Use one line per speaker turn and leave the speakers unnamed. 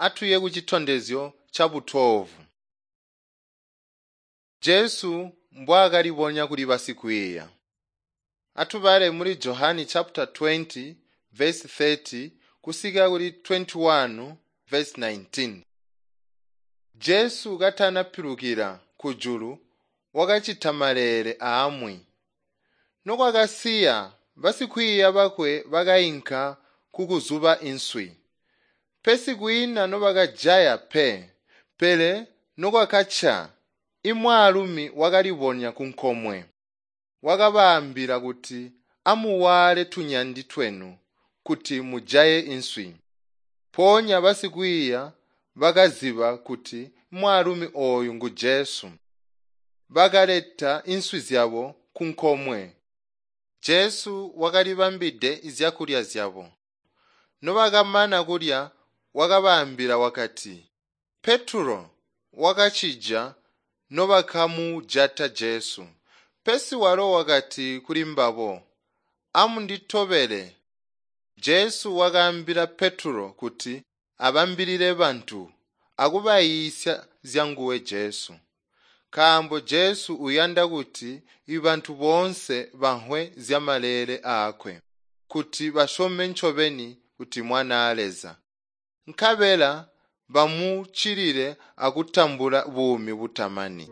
Atuye kucitondezyo cabu 12. Jesu mbwaakalibonya kuli basikwiiya. Atubale muli Johani chapter 20 verse 30 kusika kuli 21 verse 19. Jesu katanapilukila kujulu wakacita maleele aamwi. Nokwakasiya basikwiiya bakwe bakainka kukuzuba inswi. Pesi kwiina nobakajaya pe, pele nokwakaca imwaalumi wakalibonya kunkomwe. Wakabaambila kuti amuwaale tunyandi twenu kuti mujaye inswi. Mpoonya basikwiiya bakaziba kuti mwaalumi ooyu ngu Jesu. Bakaleta inswi zyabo kunkomwe. Jesu wakalibambide zyakulya zyabo. Nobakamana kulya wakabaambila wakati, Petulo wakacija nobakamujata Jesu. Pesi walo wakati kulimbabo, “Amunditobele.” Jesu wakaambila Petulo kuti abambilile bantu akubayiisya zyanguwe Jesu. Nkaambo Jesu uyanda kuti ibantu boonse bamvwe zyamaleele aakwe, kuti basyome ncobeni kuti Mwanaa Leza. Nkabela bamuccilile akutambula buumi butamani.